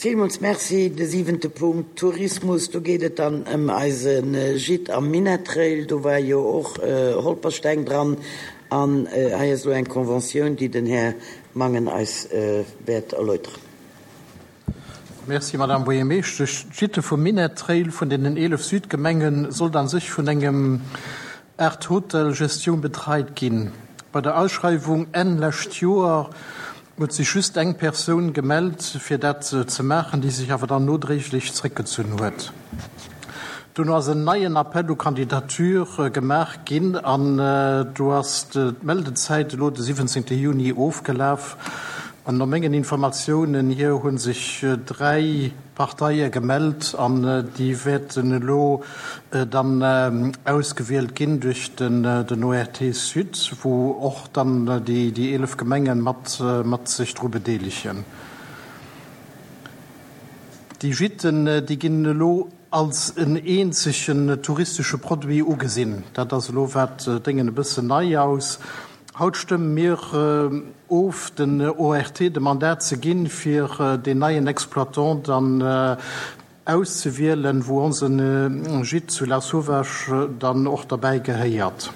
Villmools Merci. De siwente Punkt, Tourismus, do geet et dann ëm eise Gîte am Minettrail. Do war jo och Holpersteng dran. An hei ass elo eng Conventioun, déi den Här Mangen eis wäert erläuteren. Merci, Madame Buergermeeschtesch. D'Gîte vum Minett-Trail vun deenen 11 Südgemenge sollt a sech vun engem Art Hotel Gestioun betreit ginn. Bei der Ausschreiwung Enn lescht Joer huet sech just eng Persoun gemellt fir dat ze maachen, déi sech awer dann nodréiglech zréckgezunn huet. Dono ass en neien Appel aux candidatures gemaach ginn an do ass d'Meldezäit elo de 17 Juni ofgelaf. An no mengen Informatiounen hier hu sech 3 Parteie gemellt an déi wäerten elo dann ausgewielt ginn duerch den ORT Sud, wou och dann déi 11 Gemenge mat sech dru bedeelegen. Déi Gîten, déi ginn elo als en eenzegen touristesche Produit ugesinn. Dat ass elo wat Déngen e bëssen nei aus. Haut stëmme mir of, den ORT de Mandat ze ginn, fir deen neien Exploitant dann auszewielen, wou onse Gîte zu Lasauvage dann och derbäi gehéiert.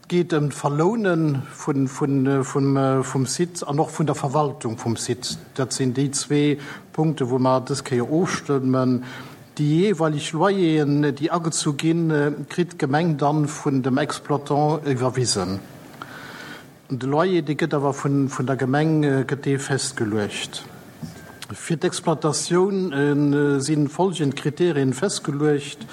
Et geet ëm d'Verloune vum Site an och vun der Verwaltung vum Site. Dat sinn déi zwee Punkte wou mer dës Kéier ofstëmmen. Déi jeeweileg Loyeren, déi agezu ginn, kritt d'Gemeng dann vun dem Exploitant iwwerwisen. De Loyer, dee gëtt awer vun der Gemeng gëtt dee festgeluecht. Fir d'Exploitatioun si folgend Kriterien festgeluecht,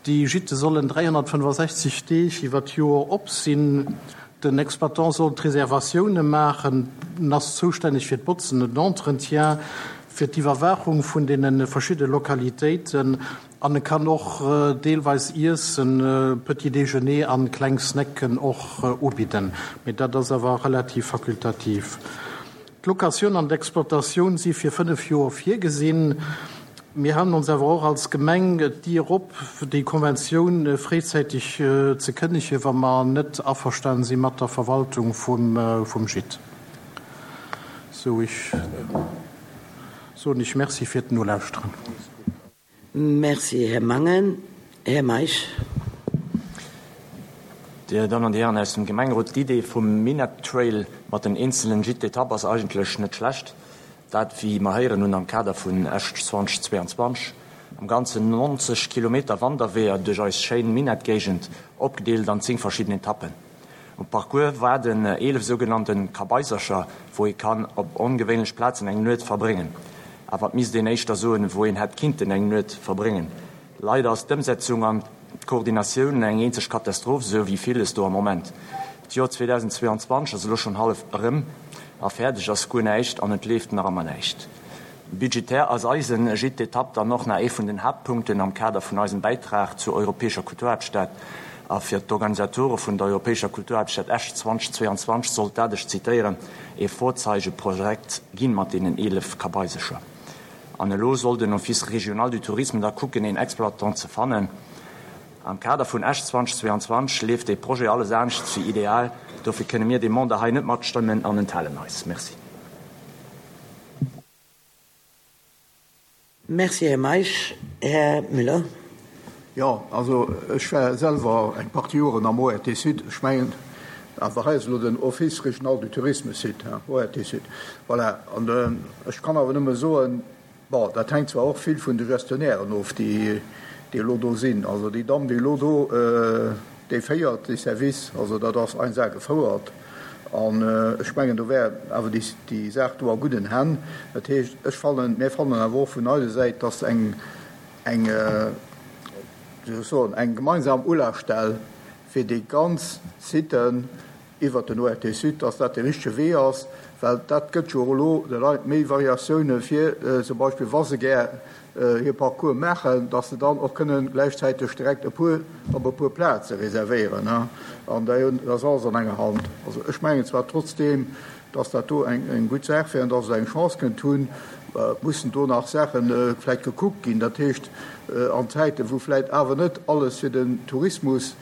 Déi Gîte sollen 365 Deeg iwwer d'Joer op sinn. Den Exploitant soll d'Reservatioune maachen, en ass zoustänneg fir d'Botzen, den Entretien, fir d'Iwwerwaachung vun deene verschidde Lokalitéiten an e kann och deelweis Iessen, Petit déjeuner an kleng Snacken och ubidden, mee dat ass awer relativ fakultativ. D'Locatioun an d'Exploitatioun si fir 5 Joer virgesinn. Mir halen ons awer och als Gemeng d'Dier op, déi Konventioun fréizäiteg ze kënnegen, wa mer net averstanen si mat der Verwaltung vum Gîte. Sou, ech soen Iech Merci fir d'Nolauschteren. Merci, Här Mangen. Här Meisch. Dir Dammen an Dir Hären aus dem Gemengerot, d'Idee vum Minett Trail mat den eenzelen Gîtes d'étape ass eigentlech net schlecht. Dat, wéi mer héieren hunn, am Kader vun Esch 2022. Am Ganzen 90 Kilometer Wanderweeër duerch eis schéin Minett-Géigend, opgedeelt an 10 verschidden Etappen. Um Parcours waarden 11 sougenannten Kabaisercher, wou ee kann op ongewéinlech Plazen eng Nuet verbréngen. Awer et misst een éischter soen, wou een hätt kinnten eng Nuet verbréngen. Leider ass d'Ëmsetzung an d'Koordinatioun eng eenzeg Katastroph, esou wéi villes do am Moment. D'Joer 2022 ass elo schonn hallef erëm a fäerdeg ass guer näischt an et leeft nach ëmmer näischt. Budgetär ass eisen Gîte d'étape dann och nach ee vun den Haaptpunkten am Kader vun eisem Bäitrag zur europäescher Kulturhaaptstad. A fir d'Organisatore vun der europäescher Kulturhaaptstad Esch 2022 sollt dat, ech zitéieren, ee Vorzeigeprojekt ginn mat deenen 11 Kabaisecher. An elo soll den Office régional du tourisme da kucken een Exploitant ze fannen. Am Kader vun Esch 2022 leeft dee Projet alles anescht wéi ideal. Dofir kënne mir dee Mandat hei net matstëmmen an enthalen eis. Merci. Merci, Här Meisch. Här Müller. Jo, also ech war selwer eng Partie Joren am ORT Sud. Ech mengen, awer hei ass elo den Office régional du tourisme Sud, hein, ORT Sud. Voilà, an ech kann awer nëmme soen, Bon, dat hänkt zwar och vill vun de Gestionnairen of, déi elo do sinn. Also déi Damm, déi elo do déi féiert, dee Service, also dat ass 1A gefouert. An ech mengen, do wär awer déi Saach do a gudden Hänn. Dat heescht, ech fannen, mir fannen awer och vun eiser Säit, dass eng, eng, wéi soll ech soen, eng gemeinsam Ulafstell fir déi ganz Siten, iwwert den ORT Sud, dass dat dee richtege Wee ass, well dat gëtt jo elo de Leit méi Variatioune fir zum Beispill, wa se gär hir Parcours maachen, dass se dann och kënnen gläichzäiteg direkt e puer op e puer Plaze reservéieren an da ass alles an enger Hand. Also ech mengen zwar trotzdeem, dass dat do eng gutt Saach wär an dass et eng Chance kënnt hunn, mussen do nach Saache vläicht gekuckt ginn, dat heescht an Zäiten, wou vläicht awer net alles fir den Tourismus.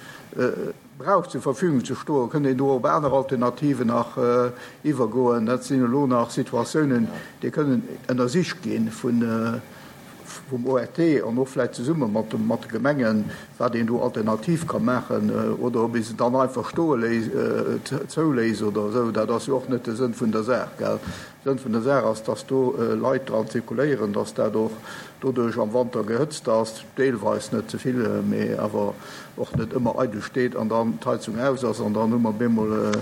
brauch zur Verfügung ze stoen, kënnt een do op aner Alternativen nach iwwergoen. Dat sinn elo nach Situatiounen, déi kënnen ënnersicht gi vum ORT an och vläicht zesumme mat de Gemengen, wat een do alternativ ka maachen oder ob ee se dann einfach stoe léisst, zouléisst oder esou. Dat ass jo och net de Sënn vun der Saach, gell. Sënn vun der Saach ass, dass do Leit dran zirkuléieren, dass dat och doduerch am Wanter gehëtzt ass, deelweis, net ze vill, mee awer och net ëmmer eidel steet an dann d'Heizung aus ass an dann hu mer bemol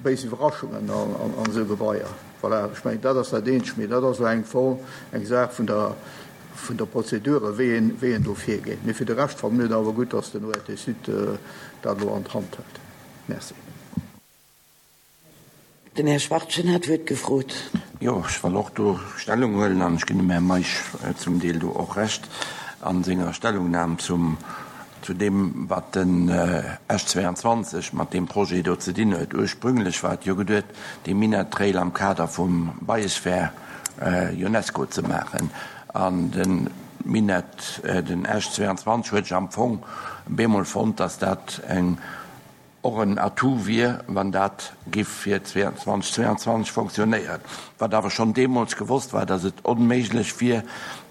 béis Iwwerraschungen an esou Gebaier. Voilà, ech mengen, dat ass dat eenzegt, mee dat ass elo eng Form, eng Saach vun der, vun der Prozedure, wéi een, wéi een do virgeet. Mee fir de Rescht fanne mir et awer gutt, dass den ORT Sud dat elo an d'Hand hëlt. Merci. Den Här Schwachtgen hat d'Wuert gefrot. Jo, ech wëll och do Stellung huelen an ech ginn dem Här Meisch zum Deel do och Recht a senger Stellungnam zum, zu deem, wat den Esch 22 mat deem Projet do ze dinn huet. Ursprünglech war et jo geduet, dee Minett-Trail am Kader vum Biosphere UNESCO ze maachen an de Minett, den Esch 22 huet sech am Fong bemol fonnt, dass dat eng och en Atout wier, wann dat giff fir 2022 fonctionnéieren, wat awer schonn deemools gewosst war, datt et onméiglech wier,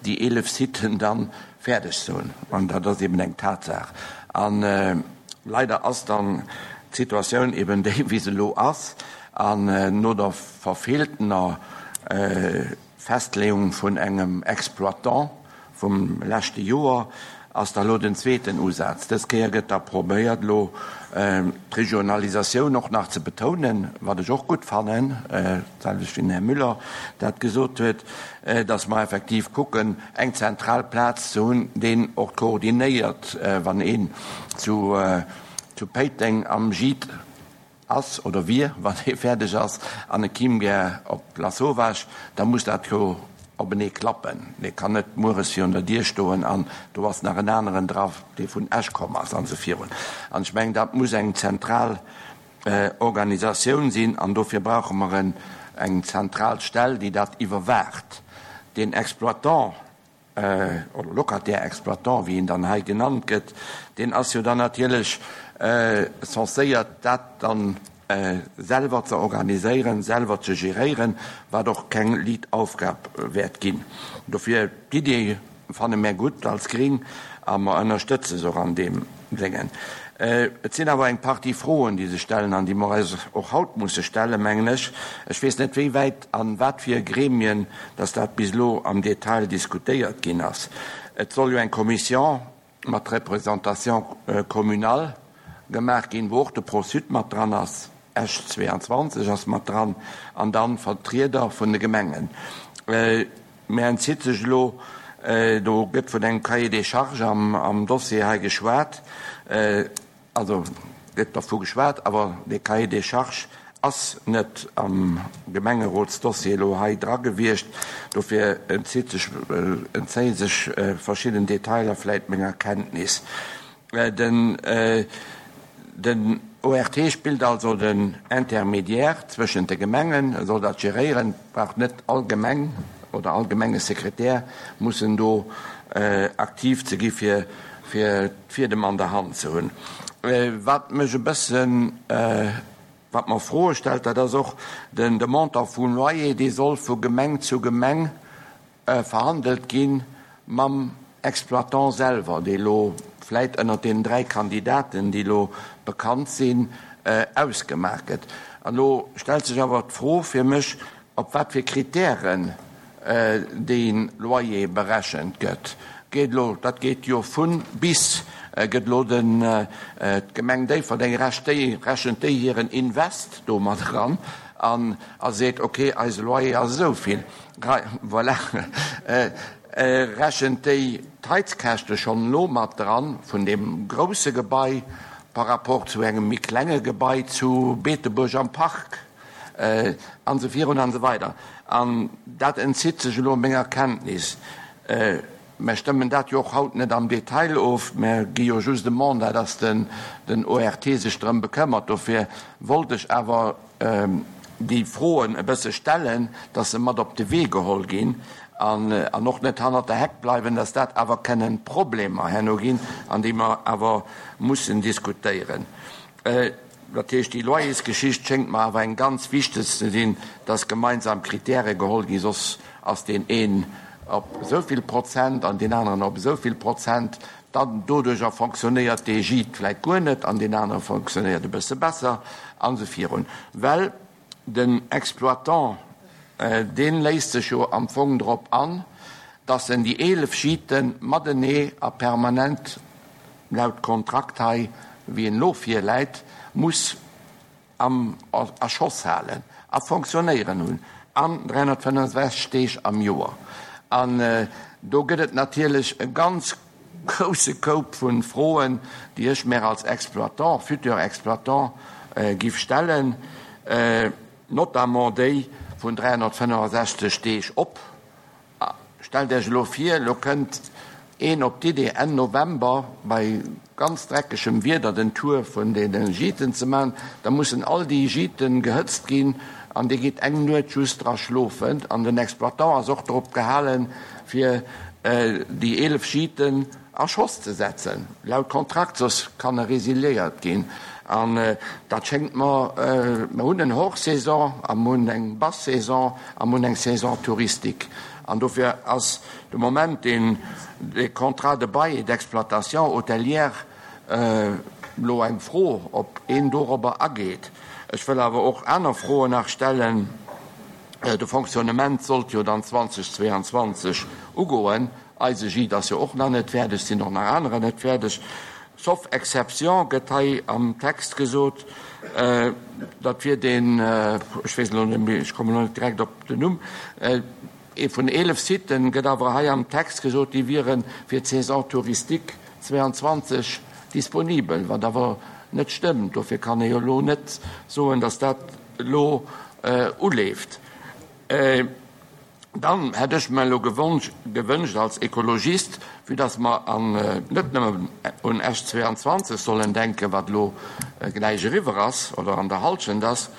déi 11 Siten da fäerdeg ze hunn. An dat ass eben eng Tatsaach. A leider ass dann d'Situatioun eben déi, wéi se elo ass. An no der verfeeltener Festleeung vun engem Exploitant vum leschte Joer ass da lo den zweeten Usaz. Dës Kéier gëtt da probéiert elo d'Regionalisatioun och nach ze betounen, wat ech och gutt fannen, d'selwecht wéi den Här Müller dat gesot huet, datt mer effektiv kucken eng zentral Plaz ze hunn, deen och koordinéiert, wann een zu Péiteng am Gîte ass oder wier, wann dee fäerdeg ass an e kimm gär op Lasauvage, da muss dat jo openee klappen. Dee kann net mueres virun der Dier stoen an do ass nach en aneren dra, dee vun Esch komm ass an esou virun. An ech mengen, dat muss eng zentral Organisatioun sinn an dofir brauche mer eng zentral Stell, déi dat iwwerwaacht. Den Exploitant oder Locataire-exploitant, wéi en dann hei genannt gëtt, deen ass jo dann natierlech censéiert, dat dann selwer ze organiséieren, selwer ze geréieren, wat och keng liit Aufgab wäert ginn. Dofir, d'Idee fanne mär gutt als Gring a mer ënnerstëtze se och an deem Déngen. Et sinn awer eng Partie Froen, déi sech stellen an déi mer eis och haut musse stellen, mengen ech. Ech weess net, wéi wäit an wat fir Gremien dass dat bis elo am Detail diskutéiert ginn ass. Et soll jo eng Commission mat Représentation communale gemaach ginn, wou och de Pro-Sud mat dran ass, Esch 22 ass mat dran, an dann Vertrieder vun de Gemengen. Mä entzitt sech elo, do gëtt vun engem Cahier des charges am Dossier hei geschwat, also gëtt dervu geschwat, awer dee Cahier des charges ass net am Gemengerotsdossier elo hei dra gewiescht. Dofir entzitt sech, entzéie sech verschidden Detailer vläit menger Kenntnis. Den ORT spillt also den Intermédiaire zwëschent de Gemengen, e soll dat geréieren. Et brauch net all Gemeng oder all Gemengesekretär mussen do aktiv ze gi fir d'Fiedem an der Hand ze hunn. Wat mech e bëssen, wat mer Froe stellt, dat ass och de Montant vum Loyer, dee soll vu Gemeng zu Gemeng verhandelt gi mam Exploitant selwer, dee elo vläit ënnert deenen 3 Kandidaten, déi elo bekannt sinn, ausgemaach gëtt. An elo stellt sech awer d'Fro fir mech, op wat fir Kritären dee Loyer berechent gëtt. Geet elo, dat geet jo vun bis, gëtt elo den, d'Gemeng Déifferdeng recht déi, rechent déi hiren Invest do mat eran an a seet, okay, eise Loyer ass esou vill. Voilà, rechent déi d'Heizkäschte schonn elo mat dran vun deem grousse Gebai par rapport zu engem méi klenge Gebai zu Beetebuerg am Park an esou virun an esou weider. An dat entzitt sech elo menger Kenntnis. Mer stëmmen dat jo och haut net am Detail of, mer gi jo just e Mandat, dass den ORT sech drëm bekëmmert. Dofir wollt ech awer déi Froen e bësse stellen, dass se mat op de Wee geholl ginn an och net hannert der Heck bleiwen, dass dat awer kënnen Problemer herno ginn, an déi mer awer mussen diskutéieren. Dat heescht, déi Loyersgeschicht schéngt mer awer eng ganz wichteg ze sinn, dass gemeinsam Kritäre geholl ginn, soss ass deen een op esou vill Prozent an deen aneren op esou vill Prozent. Dann doduerjer fonctionnéiert dee Gîte vläicht guer net an deen anere fonctionnéiert e bësse besser an esou virun. Well den Exploitant, dee léisst sech jo am Fong drop an, dass en déi 11 Gîte matenee a permanent laut Kontrakt hei, wéi en elo virläit, muss am a Schoss halen a fonctionnéieren hunn an 365 Deeg am Joer. An do gëtt et natierlech e ganz grousse Koup vu Froen, déi ech mär als Exploitant, futur Exploitant, giff stellen, notamment déi vun 365 Deeg op. A stellt Iech elo vir, elo kënnt een op d'Idee, Enn November bei ganz dreckegem Wieder den Tour vun deene Gîten ze maachen. Da mussen all déi Gîten gehëtzt ginn an Dir gitt eng Nuet just dra schlofen. An den Exploitant ass och drop gehalen, fir déi 11 Gîten a Schoss ze setzen, laut Kontrakt, soss kann e resiliéiert ginn. An dat schéngt mer, mer hunn en Hors-saison a mer hunn eng Basse-saison a mer hunn eng Saison touristique. An dofir ass de Moment deen dee Contrat de bail et d'exploitation hôtelière elo eng Fro, ob een dorobber ageet. Ech wëll awer och aner Froen nach stellen. De Fonctionnement sollt jo dann 2022 ugoen. Eise Gîte ass jo och nach net fäerdeg, sinn och nach anerer net fäerdeg. Sauf exception gëtt hei am Text gesot, dat wier deen, ech weess elo net méi, ech kommen elo net direkt op den Numm, ee vun 11 Siten, gëtt awer hei am Text gesot, déi wiere fir d'Saison touristique 22 disponibel, wat awer net stëmmt. Dofir kann ee jo elo net soen, datt dat elo uleeft. Dann hätt ech mer elo gewënscht als Ekologist, vue dass mer an net nëmmen un Esch 22 sollen denken, wat elo gläich eriwwer ass oder an der Halschent ass,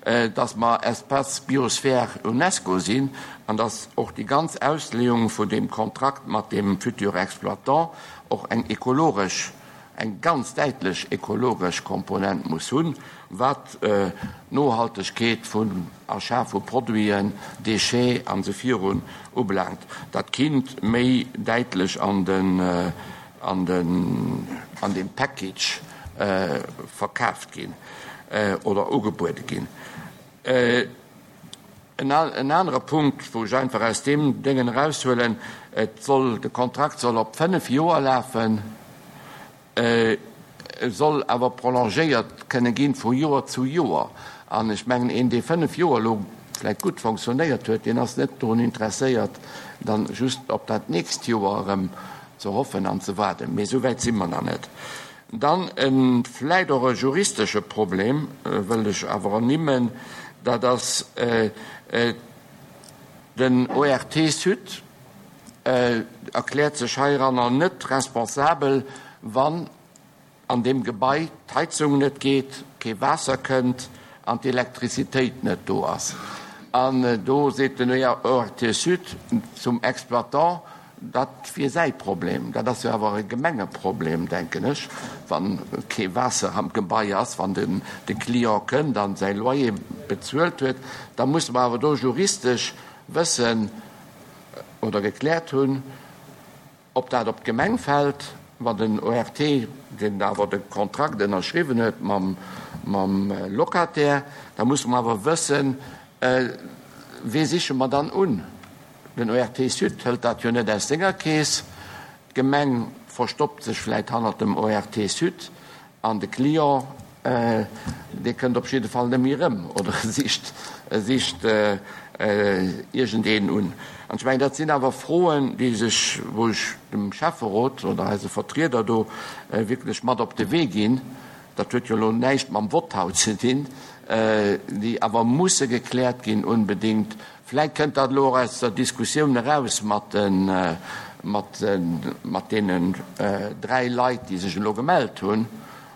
dass mer Espace Biosphère UNESCO sinn an dass och déi ganz Ausleeung vun deem Kontrakt mat deem futur Exploitant och eng ekologesch, eng ganz däitlech ekologesch Komponent muss hunn, wat d'Nohaltegkeet vun Achat vu Produiten, Déchets an esou virun ubelaangt. Dat kinnt méi däitlech an den, an den, an deem Package verkaaft ginn oder ugebuede ginn. En anere Punkt, wou ech einfach aus deem Déngen eraushuelen, et soll, de Kontrakt soll op fënnf Joer lafen. E soll awer prolongéiert kënne ginn vu Joer zu Joer. An ech mengen, een, dee fënnf Joer elo vläicht gutt fonctionnéiert huet, deen ass net drun interesséiert, dann just op dat nächst Joer erëm ze hoffen an ze waarden. Mee esou wäit si mer nach net. Dann e vläicht och e juristesche Problem wëll ech awer ernimmen, dat ass den ORT Sud erkläert sech heiranner net responsabel, wann an deem Gebai d'Heizung net geet, kee Waasser kënnt an d'Elektrizitéit net do ass. An do seet den ORT Sud zum Exploitant, dat wier säi Problem. Dat ass jo awer e Gemengeproblem, denken ech, wa kee Waasser am Gebai ass, wann de Client kënnt a säi Loyer bezuelt huet. Da musse mer awer do juristesch wëssen, oder gekläert hunn, ob dat op d'Gemeng fält, wann den ORT, deen awer de Kontrakt ënnerschriwwen huet mam Locataire, da musse mer awer wëssen, wee siche mer dann un? Den ORT Sud hëlt dat jo net aus senger Keess, d'Gemeng verstoppt sech vläit hannert dem ORT Sud. An de Client, dee kënnt op jidde Fall net méi erëm oder e sicht, e sicht iergendeen un. An ech mengen, dat sinn awer Froen, déi sech, wou ech dem Schäfferot oder eise Vertrieder do wierklech mat op de Wee ginn, dat huet jo elo näischt mam Vott haut ze dinn, déi awer musse gekläert ginn unbedéngt, Vläit kënnt dat elo och aus der Diskussioun eraus mat deenen dräi Leit, déi sech elo gemellt hunn.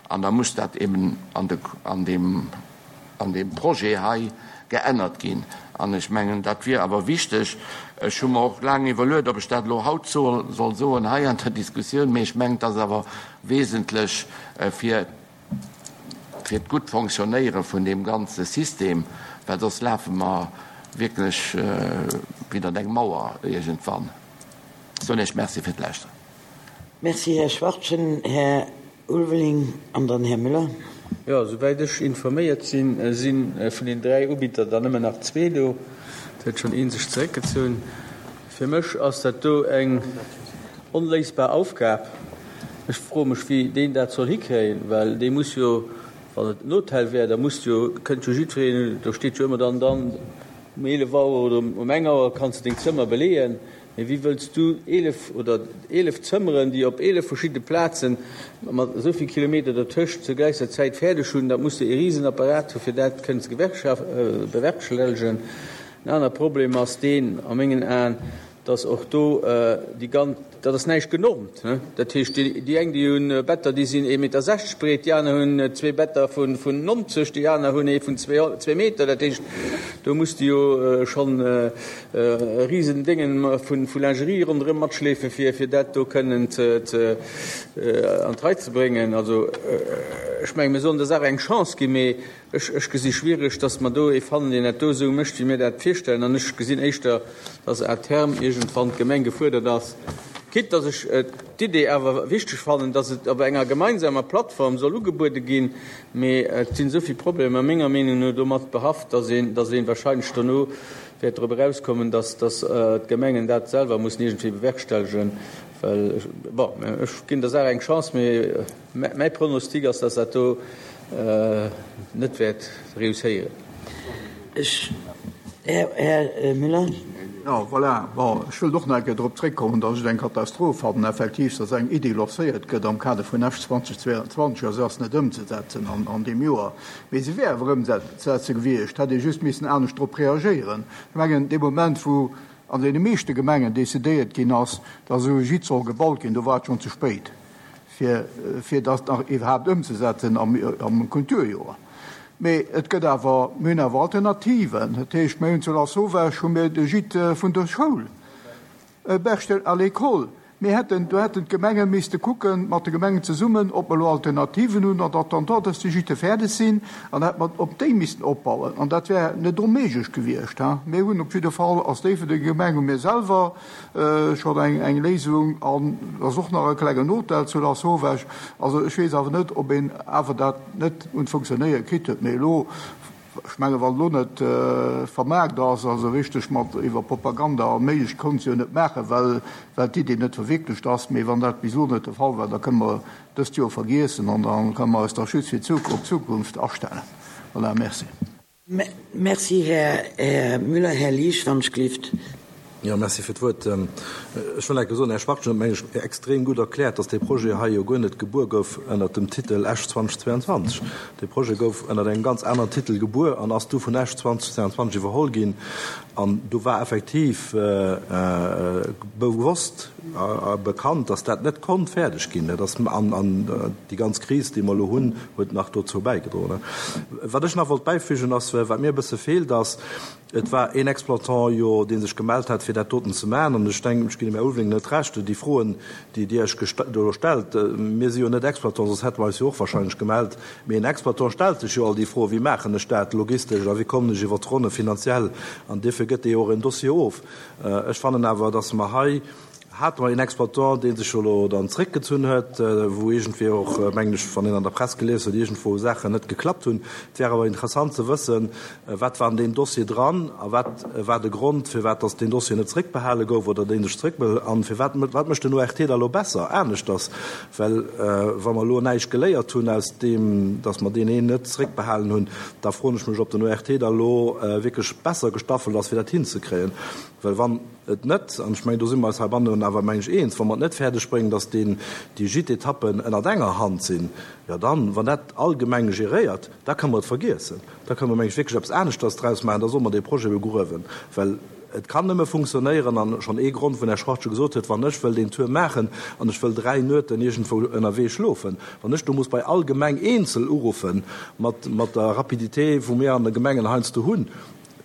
An da muss dat eben an deem Projet hei geännert ginn. An ech mengen, dat wier awer wichteg. Ech hu mer och laang iwwerluet, ob ech dat elo haut soll soen hei an der Diskussioun, mee ech mengen, et ass awer wesentlech fir. fir d'gutt Fonctionnéiere vun deem ganze System, well soss lafe mer wierklech widdert eng Mauer iergendwann. Ech soen Iech Merci fir d'Lauschteren. Merci, Här Schwachtgen. Här Ulveling an dann Här Müller. Jo, souwäit ech informéiert sinn, si vun den 3 Ubidder der nëmmen nach zwee do. Et huet schonn ee sech zeréckgezunn. Fir mech ass dat do eng onléisbar Aufgab. Ech froe mech, wéi deen dat soll hikréien, well dee muss jo, wann et en Hotel wär, da muss jo, kënnt jo jiddwereen, do steet jo ëmmer dann, dann um 11 Auer oder um eng Auer kanns de deng Zëmmer beleeën. Mee wéi wëlls du 11 oder 11 Zëmmeren, déi op 11 verschidde Plazen mat esou vill Kilometer dertëscht zur gläicher Zäit fäerdeg hunn? Dat muss de e Risenapparat hu fir dat kënnen ze bewerkstellegen. En aner Problem ass deen a mengen Aen, dass och do déi ganz, dat ass näischt genormt. Dat heescht, déi eng, déi hu Better, déi sinn ee Meter 60 breet, déi aner hunn zwee Better vun 90, déi aner hunn ee vun zwee Meter. Dat heescht, do muss de jo schonn e risen Déngen vu Lingerie ronderëm matschleefen, fir dat do kënnen an d'Rei ze bréngen. Also ech mengen, mir sollen der Saach eng Chance ginn, mee Ech gesi schwiereg, datt mer do ee fannen, deen dat do esou mécht, wéi mir dat virstellen. An ech gesinn éischter, datt à terme iergendwann d'Gemeng gefuerdert ass, quitte datt ech d'Idee awer wichteg fannen, datt et op enger gemeinsamer Plattform soll ugebuede ginn. Mee et sinn esou vill Problemer menger Meenung no domat behaft, datt een, datt ee wahrscheinlech dono wäert drop erauskommen, datt, datt d'Gemengen dat selwer mussen iergendwéi bewerkstellegen. Well, bon, ech ginn der Saach eng Chance, mee. Mäi Pronostic ass, dass dat do net wäert reusséieren. Ech, Här Müller. Jo, voilà. Bon, ech wëllt och nach eng Kéier drop zréckkommen, dass ech et eng Katastroph fannen, effektiv, dass eng Iddi lancéiert gëtt am Kader vun Esch 2022 a se ass net ëmzesetzen an deem Joer. Mee se wär awer ëmzesetze gewiescht, hätt ee just missen anescht drop reagéieren. Ech mengen, dee Moment, wou an deene meeschte Gemengen decidéiert ginn ass, dass esou e Gîte soll gebaut ginn, do war et schonn ze spéit. fir, fir dat nach iwwerhaapt ëmzesetzen am, am Kulturjoer. Mee et gëtt awer, mir hunn awer Alternativen. Dat heescht, mir hunn zu Lasauvage hu mir de Gîte vun der Schoul, Berchtel à l'école. Mir hätten, do hätten d'Gemenge misste kucken, mat de Gemengen zesummen, ob mer elo Alternativen hunn, en attendant dass déi Gîte fäerdeg sinn, an da hätt mer op déi missten opbauen. An dat wär net onméiglech gewiescht. Mir hunn op jidde Fall als Déifferdenger Gemeng hu mir selwer, Schonn eng Léisung an ass och nach e klengen Hotel zu Lasauvage. Also ech weess awer net, ob een awer dat net un d'Funktionéiere kritt huet. Mee elo, ech menge wann elo net vermaart ass, also richteg mat iwwer Propaganda all méiglech, konnt se jo net maachen, well well d'Idee net verwierklecht ass. Mee wann dat bis elo net de Fall war, da kënne mer dëst Joer vergiessen an da kënne mer eis da just fir op d'Zukunft astellen. Voilà, merci. Merci, Här Müller. Här Liesch, wann ech gelift. Jo, merci fir d'Wuert. Ech wëll enke soen, Här Schwachtgen huet, meng ech, extrem gutt erkläert, dass dee Projet hei jo guer net gebuer gouf ënnert dem Titel Esch 2022. Dee Projet gouf ënnert engem ganz aneren Titel gebuer an ass du vun Esch 2022 iwwerholl ginn. An do war effektiv bewosst a bekannt, dass dat net konnt fäerdeg ginn. Dat ass, an déi ganz Kris, déi mer elo hunn, huet nach dozou bäigedroen. Wat ech nach wollt bäifügen ass, wat mir e bësse feelt, ass, et war een Exploitant jo, dee sech gemellt hat, fir dat doten ze maachen. An ech denken, ech ginn dem Här Ulveling net Recht, déi Froen, déi Dir Iech do stellt, mir si jo net Exploitant, soss hätte mer eis jo och wahrscheinlech gemellt, mee en Exploitant stellt sech jo all déi Froen, wéi maachen ech dat logistesch a wéi kommen ech iwwer d'Ronne finanziell, an duerfir gëtt dee jo och en Dossier of. Ech fannen awer, dass mer hei, Hate mer een Exploitant, dee sech jo elo dann zréckgezunn huet, wou iergendwéi och, mengen ech, wann een an der Press gelies huet, iergendwou Saachen net geklappt hunn. Et wär awer interessant ze wëssen, wat war an deem Dossier dran a wat war de Grond, firwat datt deen Dossier net zréckbehale gouf oder dee sech zréckbehëlt an firwat, wat mécht den ORT da elo besser, aneschters? Well wa mer elo näischt geléiert hunn aus deem, datt mer deen een net zréckbehalen hunn, da froen ech mech, ob den ORT da elo wierklech besser gestaffelt ass, fir dat hinzekréien. Well wann et net, an ech mengen, do si mer eis heibannen awer, meng ech, eens, wa mer et net fäerdeg bréngen, datt deen, déi Gîte-Etappen ënnert enger Hand sinn, jo dann, wann dat all Gemeng geréiert, da kënne mer et vergiessen. Da kënne mer, meng ech, wierklech eppes aneschters draus maachen. Da solle mer dee Projet begruewen. Well et kann nëmme funktionéieren, an schonn ee Grond, wou den Här Schwachtgen gesot huet, wann ech wëll deen Tour maachen an ech wëll 3 Nueten iergendwou ënnerwee schlofen, wann ech do muss bei all Gemeng eenzel uruffen, mat, mat der Rapidité, wou mir an de Gemengen heiansdo hunn,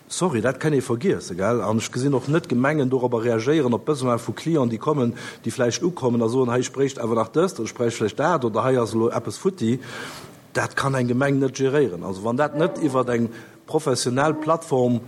Sorry, dat kann ee vergiessen, gell? An ech gesinn och net d'Gemengen dorobber reagéieren, op d'Besoin vu Clienten, déi kommen, déi vläicht ukommen a soen, hei, ech bréicht awer nach dëst oder ech bräicht vläicht dat oder hei ass elo eppes futti. Dat kann eng Gemeng net geréieren. Also wann dat net iwwer eng professionell Plattform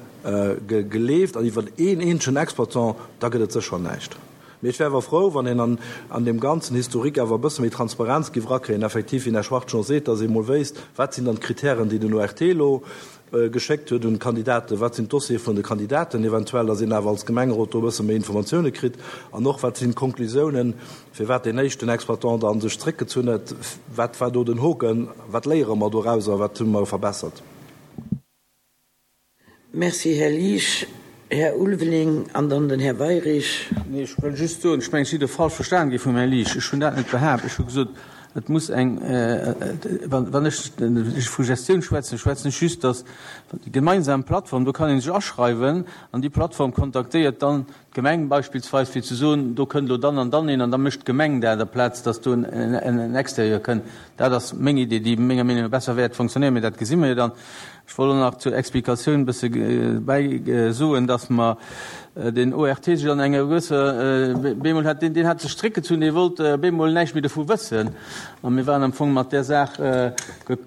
geleeft an iwwer een eenzegen Exploitant, da gëtt et sécher näischt. Mee ech wär awer frou, wann een an an deem ganzen Historique awer e bësse méi Transparenz géif erakréien, effektiv, wéi den Här Schwachtgen och seet, dass ee mol wéisst, wat sinn dann d'Kritären, déi den ORT elo geschéckt huet un d'Kandidaten, wat sinn d'Dossiere vun de Kandidaten eventuell, dass een awer als Gemengerot do e bësse méi Informatioune kritt an och, wat sinn d'Konklusiounen, firwat deen éischten Exploitant da sech zréckgezunn huet, wat war do den Hoken, wat léiere mer dorauser, wat hu mer verbessert. Merci, Här Liesch. Här Ulveling an dann den Här Weyrich. Nee, ech wëll just soen, ech mengen, ech si do falsch verstanen gi vum Här Liesch. Ech hunn dat net behaapt. Ech hu gesot, et muss eng, wann ech vu Gestioun schwätzen, schwätzen ech just, datt déi gemeinsam Plattform, do kann ee sech aschreiwen an déi Plattform kontaktéiert dann d'Gemeng beispillsweis, fir ze soen, do kënnt elo dann an dann een an da mécht d'Gemeng dat, aplaz datt do en Extérieur kënnt. Dat ass meng Idee, déi menger Meenung no besser wäert fonctionnéieren, mee dat gesi mer jo dann. Ech wollt och nach zur Explikatioun e bësse bäi soen, dass mer den ORT sech an enger gewësser, bemol hat deen, deen hat sech zréckgezunn, dee wollt bemol näischt méi dovu wëssen a mir waren am Fong mat där Saach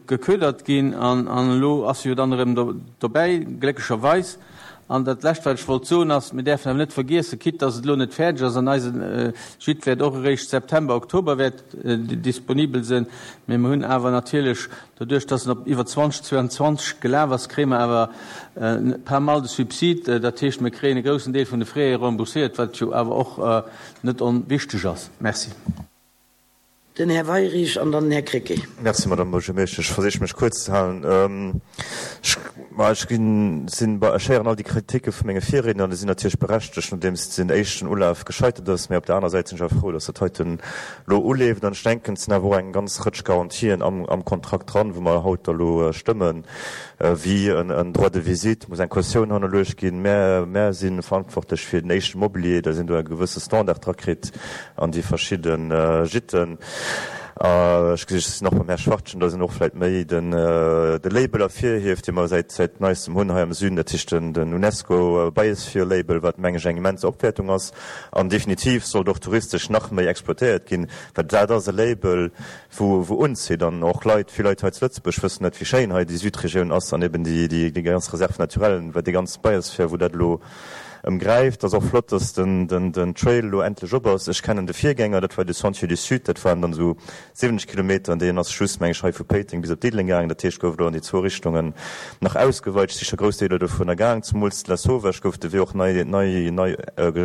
geködert ginn an elo ass e jo dann erëm dobäi, glécklecherweis. An dat Lescht, wat ech wollt soen, ass, Mir däerfen awer net vergiessen, quitte dass et elo net fäerdeg ass an eise Gîte wäert och eréischt September, Oktober wäert disponibel sinn, mee mer hunn awer natierlech doduerch, dass en op iwwer 2022 gelaf ass, kréie mer awer pas mal de Subside. Dat heescht, mir kréien e groussen Deel vun de Frais rembourséiert, wat jo awer och net onwichteg ass. Merci. Den Här Weyrich an dann den Här Krecké. Merci, Madame Buergermeeschtesch. Ech versiche mech kuerz ze halen. Ech, ma ech ginn, sinn, ech héieren all déi Kriticke vu menge Virriedner an déi sinn natierlech berechtegt, nodeems den éischten Ulaf gescheitert ass. Mä op der aner Säit sinn ech awer frou, dass dat heiten elo uleeft. An ech denken, et sinn awer och eng ganz Rëtsch Garantien am, am Kontrakt dran, wou mer haut da elo stëmmen, wéi en Droit de visite, muss eng Kautioun hannerluecht ginn. Mär, mär si verantwortlech fir den éischte Mobilier, dass een do e gewësse Standard drakritt. an déi verschidde Gitten. Ech gesinn och beim Här Schwachtgen, datt en och vläicht méi den de Label ervirhieft, dee mer säit säit neistem hunn hei am Süden, dat heescht den den UNESCO Biosphere Label, wat meng ech eng immens Opwäertung ass an definitiv sollt och touristesch nach méi exploitéiert ginn, well dat ass e Label, wou wou unzitt an och Leit, vill Leit hei zu Lëtzebuerg wëssen net, wéi schéin hei déi Südregioun ass an eben déi déi déi ganz Réserve naturelle, wat déi ganz Biosphere, wou dat elo Ëmgräift. Ass och flott, dass den den Trail elo endlech op ass. Ech kennen de Virgänger, dat war de Sentier du Sud, dat waren dann esou 70 Kilometer an deen ass just, meng ech, hei vu Péiteng bis op Diddeleng gaangen. Dat heescht, gouf elo an déi zwou Richtungen nach ausgeweit. Ech si scho grouss Deeler dovunner gaang. Zemools Lasauvage gouf de Wee och nei nei nei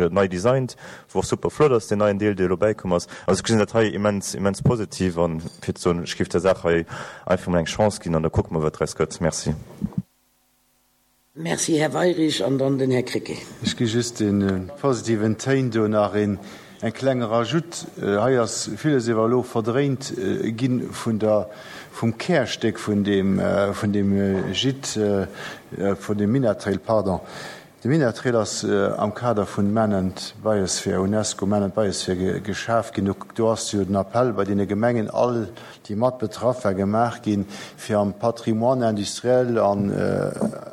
nei designt, wou och super flott ass, deen neien Deel, dee elo bäikomm ass. Also ech gesinn dat hei immens immens positiv an fir ze soen, ech géif der Saach hei einfach mol eng Chance ginn an da kucke mer, wat draus gëtt. Merci. Merci, Här Weyrich. An dann den Här Krecké. Ech gi just de positiven Téin do nach een e klenge Rajout. Hei ass villes ewer elo verdréint gi vun der, vum Kärstéck vun deem, vun deem Gîte, vun deem Minettrail, pardon. De Minettrail ass am Kader vun Man and Biosphere, UNESCO Man and Biosphere, geschaf ginn. Do ass jo den Appell bei deene Gemengen all, déi mat betraff war, gemaach ginn, fir am Patrimoine industriel an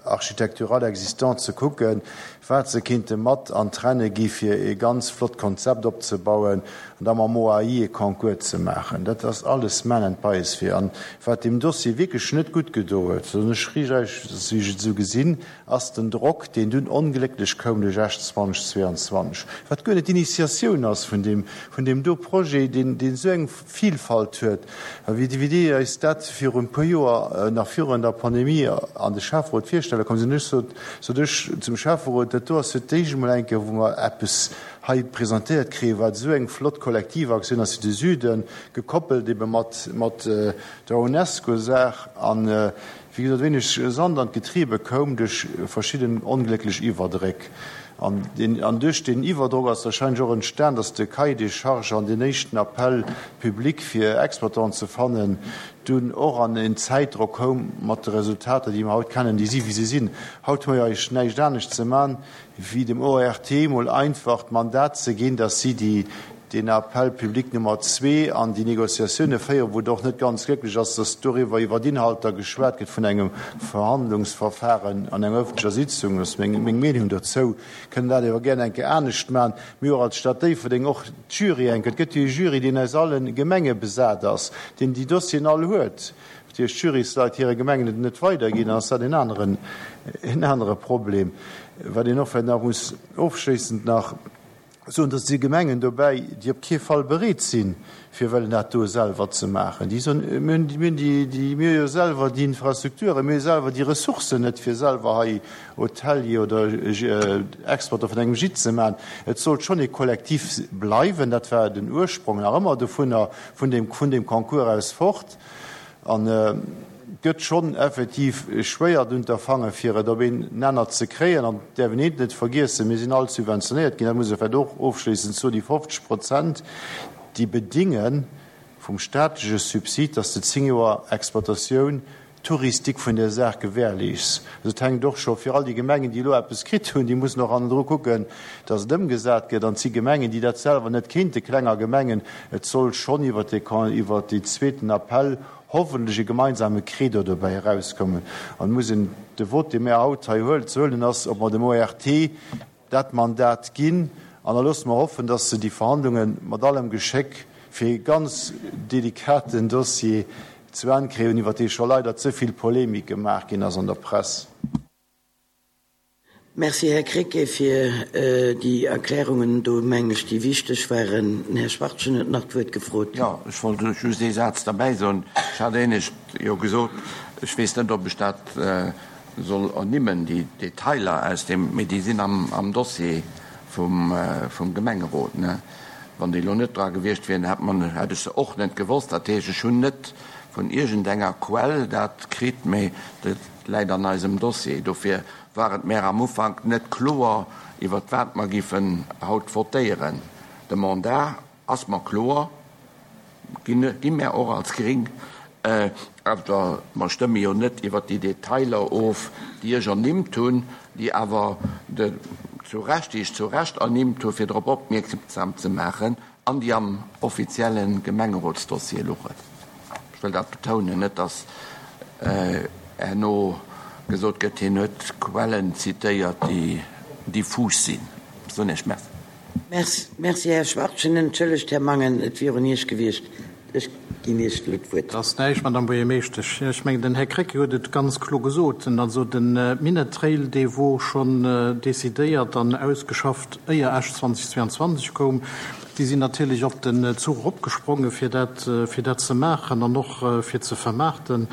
architectural existant ze kucken, wat se kinnte mat an d'Renne gi fir e ganz flott Konzept opzebauen an da mam OAI e Concours ze maachen. Dat ass alles Man and Biosphere. An wat deem Dossier wierklech net gutt gedo huet, soen ech riicht eis, wéi ech et esou gesinn, ass den Drock, deen dunn onglécklech koum duerch Esch 2022, wat guer net d'Initiatioun ass vun deem, vun deem do Projet, deen, deen esou eng Vilfalt huet. A wéi, wéi déi eis dat virun e puer Joer, nach virun der Pandemie, an de Schäfferot virstelle komm sinn, ech sot, sot ech zum Schäfferot, dat do ass fir d'éischt emol eng Kéier, wou mer eppes hei presentéiert kréien, wat esou eng flott Kollektivaktioun ass fir de Süden, gekoppelt ebe mat, mat der UNESCO-Saach. An Wéi gesot, wéineg Sand an d'Getriebe koum duerch verschidden onglécklech Iwwerdréck. An duerch deen Iwwerdrock ass warscheinlech och entstan, datt de Cahier des charges an deen éischten Appel public fir Exploitanten ze fannen dunn och an en Zäitdrock koum, mat de Resultater, déi mer haut kennen, déi si wéi se sinn. Haut hu mer jo eigentlech näischt anescht ze man, wéi dem ORT mol einfach d'Mandat ze ginn, datt si déi, deen Appel public Nummer zwee an déi Négociatioune féieren, wou et och net ganz glécklech ass, datt doriwwer iwwer d'Inhalter geschwat gëtt vun engem Verhandlungsverfahren an enger öffentlecher Sitzung. Dat ass meng Meenung dozou. Kënnen dat awer gär eng Kéier anescht maachen. Mir och als Stad Déifferdeng, och d'Jury eng Kéier, et gëtt jo e Jury, deen aus alle Gemenge besat ass, deen déi Dossieren all huet. Natierlech d'Jurysleit hire Gemengen et net weiderginn, dann ass dat en aneren, en anere Problem. Wat een och vläicht nach muss ofschléissend nach soen, dass si Gemengen dobäi, déi op kee Fall bereet sinn, fir wëllen dat do selwer ze maachen. Déi soen, mir hunn, mir hunn déi, déi, mir hu jo selwer déi Infrastrukturen, mir hu selwer déi Ressourcen net, fir selwer hei Hotelier oder Exporter vun engem Gîte ze maachen. Et sollt schonn ee Kollektiv bleiwen. Dat war den Ursprong nach ëmmer dovunner, vun deem, vun deem Concours aus fort. An et gëtt schonn effektiv schwéier d'Unterfange fir et op een Nenner ze kréien. An et däerf een eent net vergiessen, Mir sinn all subventionéiert ginn, dat muss ee vläicht och ofschléissend soen, déi 50 Prozent, déi bedinge vum staatleche Subsid, dass de 10 Joer Exploitatioun touristique vun där Saach gewährleeschs. Also et hänkt och scho fir all déi Gemengen, déi elo eppes kritt hunn, déi mussen och hannendru kucken, dass et ëmgesat gëtt. An et si Gemengen, déi dat selwer net kéinte, klenger Gemengen. Et soll schonn iwwert dee, iwwert dee zweeten Appell hoffentlech e gemeinsame Credo dobäi erauskommen. An et muss een de Vote, dee mir haut hei huelen, ze huelen ass, ob mer dem ORT dat Mandat ginn. An da loosse mer hoffen, dass se déi Verhandlunge mat allem Geschéck fir ee ganz delikaten Dossier zu Enn kréien, iwwer dee scho leider ze vill Polemik gemaach ginn ass an der Press. Merci, Här Krecké, fir déi Erklärungen do, mengen ech, déi wichteg waren. Den Här Schwachtgen huet nach d'Wuert gefrot. Jo, ech wollt just ee Saz derbäi soen. Ech hat éinescht jo gesot, ech weess net, ob ech dat soll ernimmen, déi Detailer aus deem, mee déi sinn am Dossier vum Gemengerot. Wann déi elo net dra gewiescht wieren, hätt ech se och net gewosst. Dat heescht, ech hunn net vun iergendenger Quell dat kritt, mee dat läit an eisem Dossier. Dofir war et mär am Ufank net kloer, iwwert wat mer giffen haut votéieren. De Mandat ass mer kloer, gi mär och als Gring, awer mer stëmme jo net iwwert déi Detailer of, déi ech ernimmt hunn, déi awer zu Recht, déi ech zu Recht ernimmt hu fir drop opmierksam ze maachen, An déi am offizielle Gemengerotsdossier luchen. Ech wëll dat betounen, net datt herno gesot gëtt, hien huet Quellen zitéiert, déi diffus sinn. Ech soen Iech Merci. Merci, Här Schwachtgen. Entschëllegt, Här Mangen, et wier un Iech gewiescht. Ech ginn Iech elo d'Wuert. Et ass näischt, Madame Buergermeeschtesch. Ech mengen, den Här Krecké huet et ganz klo gesot. Also de Minett-Trail, dee wor schonn decidéiert an ausgeschafft, éier Esch 2022 koum. Déi sinn natierlech op den Zuch eropgesprongen, fir dat, fir dat ze maachen an och fir ze vermaarten.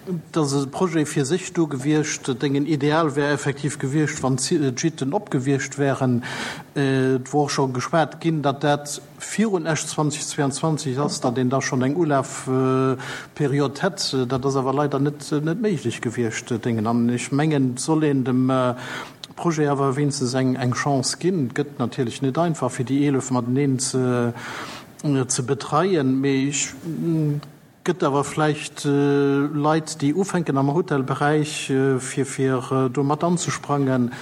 Et ass e Projet fir sech do gewiescht. Dengen Ideal wär effektiv gewiescht, wann d'Gîten op gewiescht wären. Et wor och scho geschwat ginn, datt dat virun Esch 2022 ass, datt een da schonn eng Ulafperiod hätt. Dat ass awer leider net méiglech gewiescht, dengen. An ech mengen, et soll een dem Projet awer wéinstens eng Chance ginn. Et gëtt natierlech net einfach, fir déi 11 mateneen ze betreien, mee ech. Gëtt awer vläicht Leit, déi ufänken am Hotelberäich, fir fir do mat anzesprangen.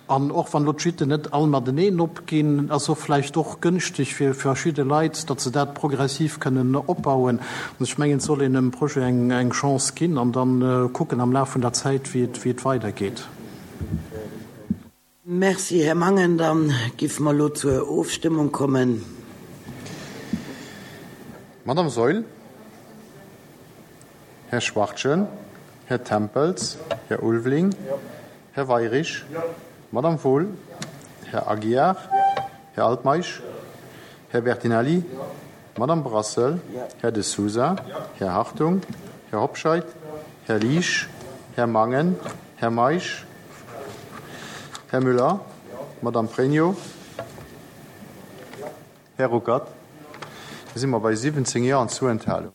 An och wann elo d'Gîten net all mateneen opginn, ass och vläicht och gënschteg fir verschidde Leit, datt se dat progressiv kënnen opbauen. An ech mengen, et soll een dem Projet eng Chance ginn an da kucken am Laf vun der Zäit, wéi et wéi et weidergeet. Merci, Här Mangen. Da giffe mer elo zur Ofstëmmung kommen. Madame Saeul, Här Schwachtgen, Här Tempels, Här Ulveling, Här Weirich, Madame Wohl, Här Aguiar, Här Altmeisch, Här Bertinelli, Madame Brassel, Här De Sousa, Här Hartung, Här Hobscheit, Här Liesch, Här Mangen, Här Meisch, Här Müller, Madame Pregno, Här Ruckert. Da si mer bei 17 Jo an zwou Enthalungen.